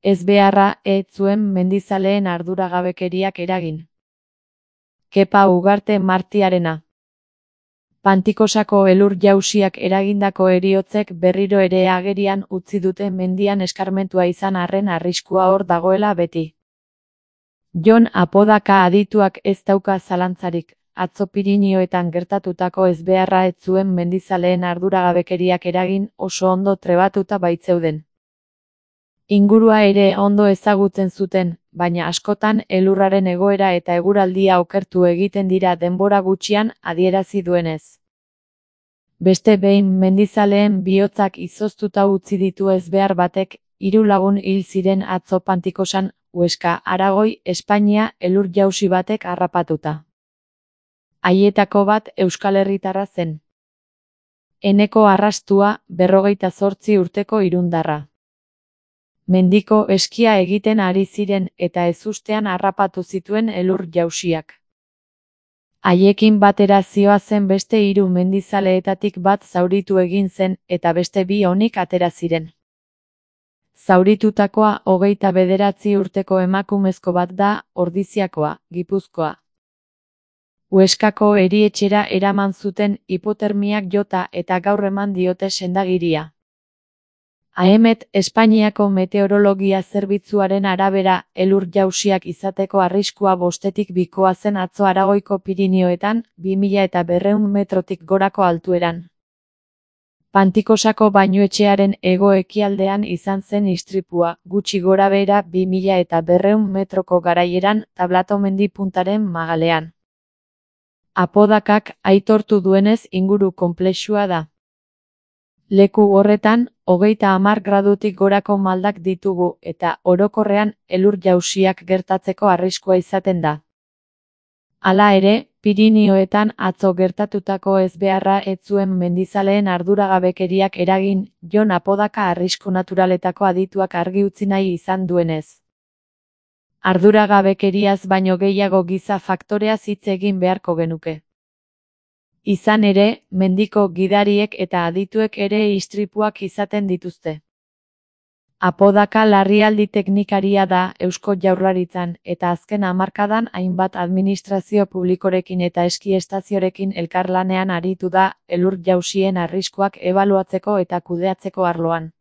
ezbeharra ez zuen mendizaleen arduragabekeriak eragin. Kepa Ugarte Martiarena. Pantikosako elur-jausiak eragindako heriotzek berriro ere agerian utzi dute mendian eskarmentua izan arren arriskua hor dagoela beti. Jon Apodaka adituak ez dauka zalantzarik, atzo Pirinioetan gertatutako ezbeharra ez zuen mendizaleen arduragabekeriak eragin oso ondo trebatuta baitzeuden. Ingurua ere ondo ezagutzen zuten, baina askotan elurraren egoera eta eguraldia okertu egiten dira denbora gutxian adierazi duenez. Beste behin mendizaleen bihotzak izoztuta utzi ditu ezbehar batek, 3 lagun hil ziren atzo Pantikosan, Huesca, Aragoi, Espainia elur-jausi batek harrapatuta. Haietako bat Euskal Herritarra zen. Eneko Arrastua, 58 urteko irundarra. Mendiko eskia egiten ari ziren eta ezustean harrapatu zituen elur-jausiak. Haiekin batera zihoazen beste 3 mendizaleetatik bat zauritu egin zen eta beste 2 onik atera ziren. Zauritutakoa 29 urteko emakumezko bat da, Ordiziakoa, Gipuzkoa. Huescako erietxera eraman zuten hipotermiak jota eta gaur eman diote sendagiria. AEMET Espainiako Meteorologia Zerbitzuaren arabera, elur-jausiak izateko arriskua 5-tik 2 zen atzo Aragoiko Pirinioetan, 2200 metrotik gorako altueran. Pantikosako bainuetxearen hego-ekialdean izan zen istripua, gutxi gorabehera 2200 metroko garaieran, Tablatomendi puntaren magalean. Apodakak aitortu duenez inguru konplexua da. Leku horretan, 30 gradutik gorako maldak ditugu eta orokorrean elur-jausiak gertatzeko arriskua izaten da. Hala ere, Pirinioetan atzo gertatutako ezbeharra ez zuen mendizaleen arduragabekeriak eragin, Jon Apodaka arrisku naturaletako adituak argi utzi nahi izan duenez. Arduragabekeriaz baino gehiago giza faktoreaz hitz egin beharko genuke. Izan ere, mendiko gidariek eta adituek ere istripuak izaten dituzte. Apodaka larrialdi teknikaria da Eusko Jaurlaritzan eta azken hamarkadan hainbat administrazio publikorekin eta eski estaziorekin elkarlanean aritu da elur-jausien arriskuak ebaluatzeko eta kudeatzeko arloan.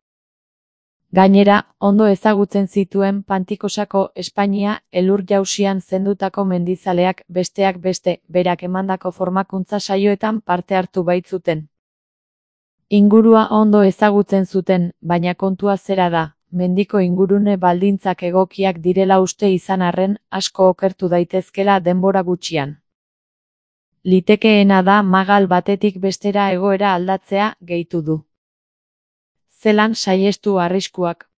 Gainera, ondo ezagutzen zituen Pantikosako Espainia elur-jausian zendutako mendizaleak besteak beste, berak emandako formakuntza saioetan parte hartu baitzuten. Ingurua ondo ezagutzen zuten, baina kontua zera da, mendiko ingurune baldintzak egokiak direla uste izan arren, asko okertu daitezkela denbora gutxian. Litekeena da magal batetik bestera egoera aldatzea, gehitu du. Zelan saihestu arriskuak.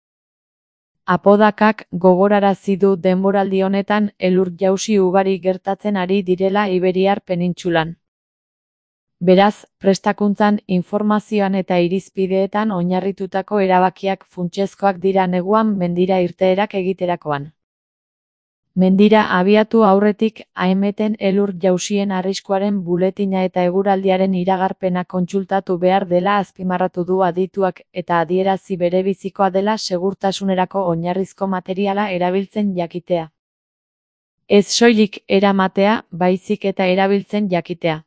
Apodakak gogorarazi du denboraldi honetan elur-jausi ugari gertatzen ari direla Iberiar penintsulan. Beraz, prestakuntzan, informazioan eta irizpideetan oinarritutako erabakiak funtsezkoak dira neguan mendira irteerak egiterakoan. Mendira abiatu aurretik, AEMETen elur-jausien arriskuaren buletina eta eguraldiaren iragarpena kontsultatu behar dela azpimarratu du adituak eta adierazi berebizikoa dela segurtasunerako oinarrizko materiala erabiltzen jakitea. Ez soilik eramatea, baizik eta erabiltzen jakitea.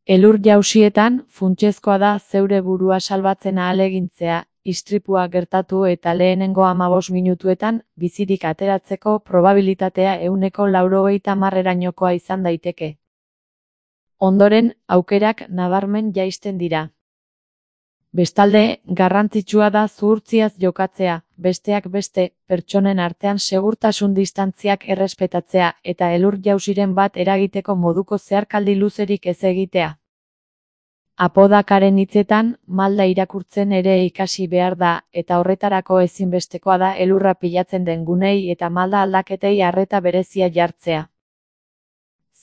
Elur-jausietan, funtsezkoa da zeure burua salbatzen ahalegintzea, istripua gertatu eta lehenengo 15 minutuetan, bizirik ateratzeko probabilitatea 90%erainokoa izan daiteke. Ondoren, aukerak nabarmen jaisten dira. Bestalde, garrantzitsua da zuhurtziaz jokatzea, besteak beste, pertsonen artean segurtasun distantziak errespetatzea eta elur-jausiren bat eragiteko moduko zeharkaldi luzerik ez egitea. Apodakaren hitzetan, malda irakurtzen ere ikasi behar da, eta horretarako ezinbestekoa da elurra pilatzen den gunei eta malda aldaketei arreta berezia jartzea.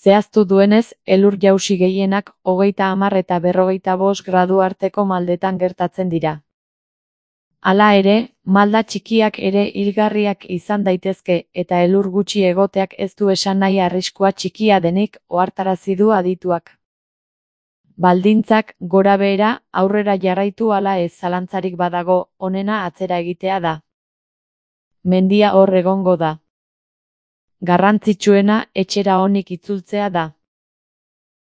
Zehaztu duenez, elur-jausi gehienak 30 eta 45 gradu arteko maldetan gertatzen dira. Hala ere, malda txikiak ere hilgarriak izan daitezke eta elur gutxi egoteak ez du esan nahi arriskua txikia denik, ohartarazi du adituak. Baldintzak, gorabehera, aurrera jarraitu ala ez zalantzarik badago, onena atzera egitea da. mendia hor egongo da. Garrantzitsuena etxera onik itzultzea da.